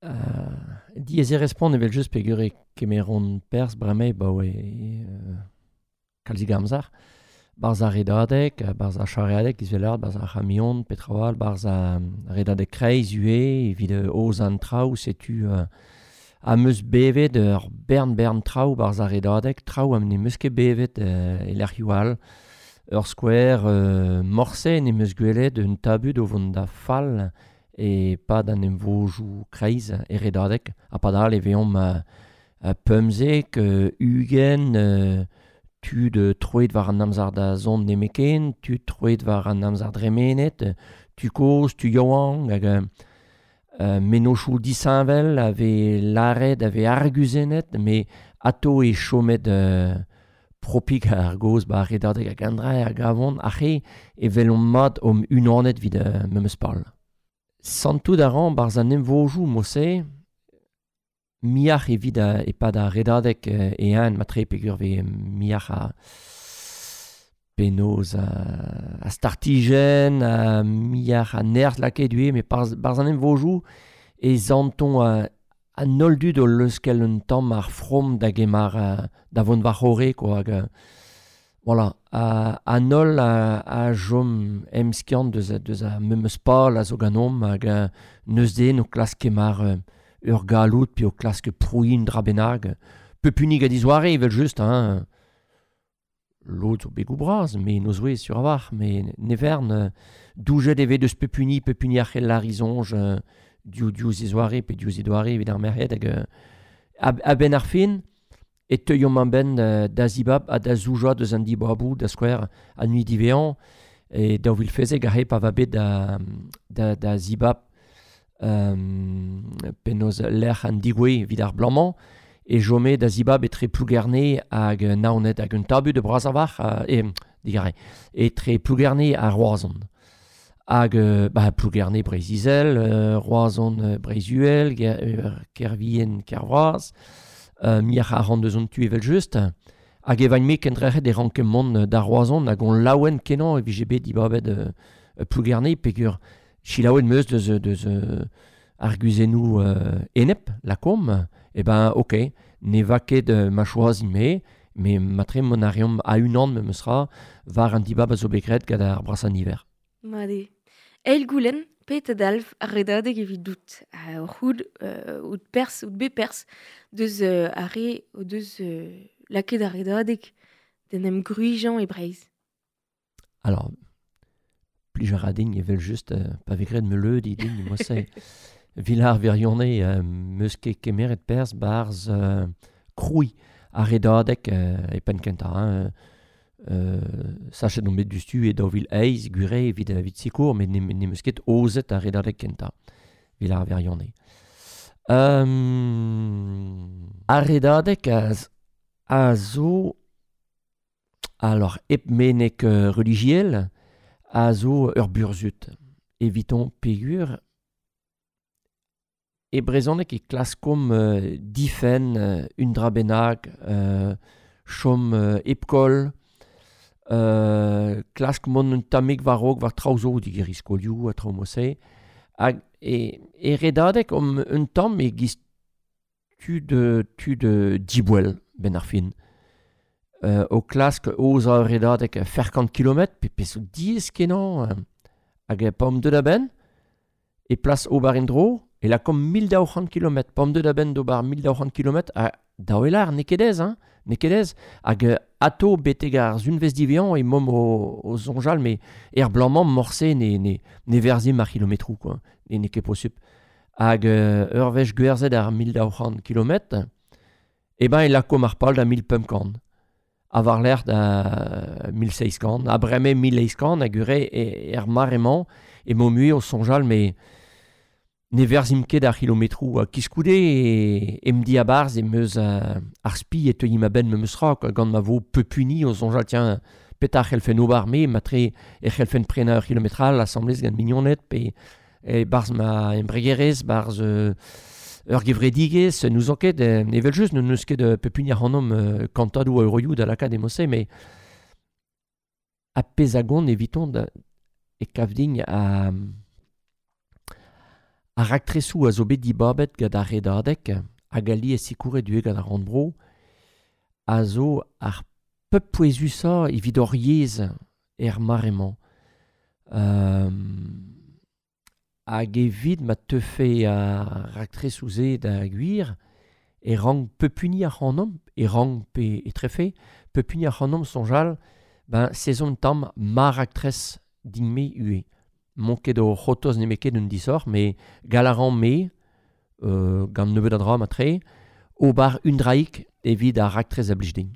Diaes eo respont evel-just peogwir e kemeront perzh bremañ abaoe kalzik amzer. 'Barzh ar redadeg, 'barzh ar charreadeg izelaat, 'barzh ar c'hamion pe traoù all, 'barzh ar redadeg kreiz ivez evit aozañ an traoù setu am eus bevet ur bern-bern traoù 'barzh ar redadeg, traoù ha n'em eus ket bevet e lec'hioù all. Ur skouer morse n'em eus gwelet un tabut o vont da fall e-pad an emvodoù kreiz e redadeg ha padal e vezomp 15, 20 tud troet war an amzer da zont nemetken, tud troet war an amzer dremenet, tud kozh, tud yaouank hag mennozhioù disheñvel a vez lâret, a vez arguzennet, met atav eo chomet propik ar gaoz 'ba ar redadeg hag an dra a gavont aze e welomp mat omp unanet evit memes pal. Santout a ran 'barzh an emvodoù mod-se muioc'h evit e-pad ar redadeg e-unan matre peogwir 'vez muioc'h a penaos a startijenn, ha muioc'h a nerzh lakaet ivez met 'barzh an emvodoù e santomp an holl dud o leuskel un tamm ar from da gemer da vont war-c'horre quoi hag voilà an holl a chom emskiant deus ar memes pal a zo ganeomp hag n'eus den o klask kemer ur galloud pe o klask prouiñ un dra bennak. Pep hini gant e zoare evel-just hein. Lod zo begoù bras, me en o zouez sur a-walc'h, met ne vern, doujet e vez deus pep hini, pep hini a c'hell lâr e soñj diouzh e zoare pe diouzh e doare evit ar merc'hed hag a-benn ar fin e teuiomp a-benn da zibab ha da zoujañ deus an dibaboù, da skouer an hini diwezhañ e 2016 aze pa va bet da zibab penaos lec'h an degouezh evit ar bloaz-mañ e chome da zibab etre Plougerne hag Naoned hag un tabut bras a-walc'h digarez, etre Plougerne ha Roazhon. Hag bah, Plougerne Breizh-Izel, Roazhon Breizh-Uhel, Kervien Kervras, muioc'h a ran deus an tu evel-just. Hag e vain-me kendrec'het e ranke mont da Roazhon hag on laouen kenañ e vije bet dibabet Plougerne peogwir selaouet 'm eus deus arguzennoù enep, lakaomp, eh ben ok, ne va ket ma choazin-me, met matre mont a reomp a-unan memes tra war an dibab a zo bet graet gant ar brasañ niver. Mat eo. Eil goulenn, petra dalv ar redadeg evidout? Oc'h out perzh, out bet perzh deus ar re o deus lakaet ar redadeg d'en em gwriziañ e Breizh? Alors, plij a ra din evel-just pa vez graet meuleudi din mod-se. Villars wirionez 'm eus ket kemeret perzh 'barzh krouiñ ar redadeg e penn-kentañ hein. Sachet on bet diouzhtu e 2008 gwir eo evit sikour met n'em eus ket aozet ar redadeg kentañ Villars wirionez. Ar redadeg a zo alors hep meneg relijiel a zo ur burzhud eviton peogwir e brezhoneg e klaskomp difenn un dra bennak, chom hep koll, klask mont un tammig war-raok war traoù zo, digeriñ skolioù ha traoù mod-se. Hag e redadeg omp un tamm e-giz tud diboell 'benn ar fin. O klask aozañ ur redadeg 400 kilometr pe pezh zo diaes-kenañ hag pa omp deuet a-benn e plas ober en-dro e lakaomp 1200 kilometr. Pa omp deuet a-benn d'ober 1200 kilometr ha daou e lâr n'eo ket aes hein, n'eo ket aes. Hag atav betek ar sunvezh diwezhañ emaomp o soñjal met er bloaz-mañ morse ne verzhimp ar c'hilometroù quoi, n'eo ket posupl. Hag ur wech gwerzhet ar 1200 kilometr, eh ben e lakaomp ar pal da 1500. Ha war-lerc'h da 1700, ha bremañ 1800 hag ure er mare-mañ emaomp mui o soñjal met ne verzhimp ket ar c'hilometroù. Ha koulskoude em diabarzh em eus ar spi e teuimp a-benn memes tra quoi, gant ma vo pep hini o soñjal tiens petra c'hellfen ober me, matre e c'hellfen prenañ ur c'hilometr all asambles gant mignoned pe e-barzh ma embregerezh, 'barzh ur gevredigezh, n'ouzon ket, evel-just n'eus ket pep hini ac'hanomp kantadoù a euroioù da lakaat e mod-se, met ar pezh a gont eviton e kav din Ar raktresoù a zo bet dibabet gant ar Redadeg hag alies sikouret ivez gant ar Rannvro a zo ar pep pouezusañ evit hor yezh er mare-mañ. Hag evit ma teufe ar raktresoù-se da gwir e rank pep hini ac'hanomp, e rank pe etrefe, pep hini ac'hanomp soñjal ben sezon tamm ma raktres din-me ivez. M'on ket o c'hortoz nemet ket un disoc'h, met gall a ran me, gant nebeut a dra matre, ober un draig evit ar raktres a blij din.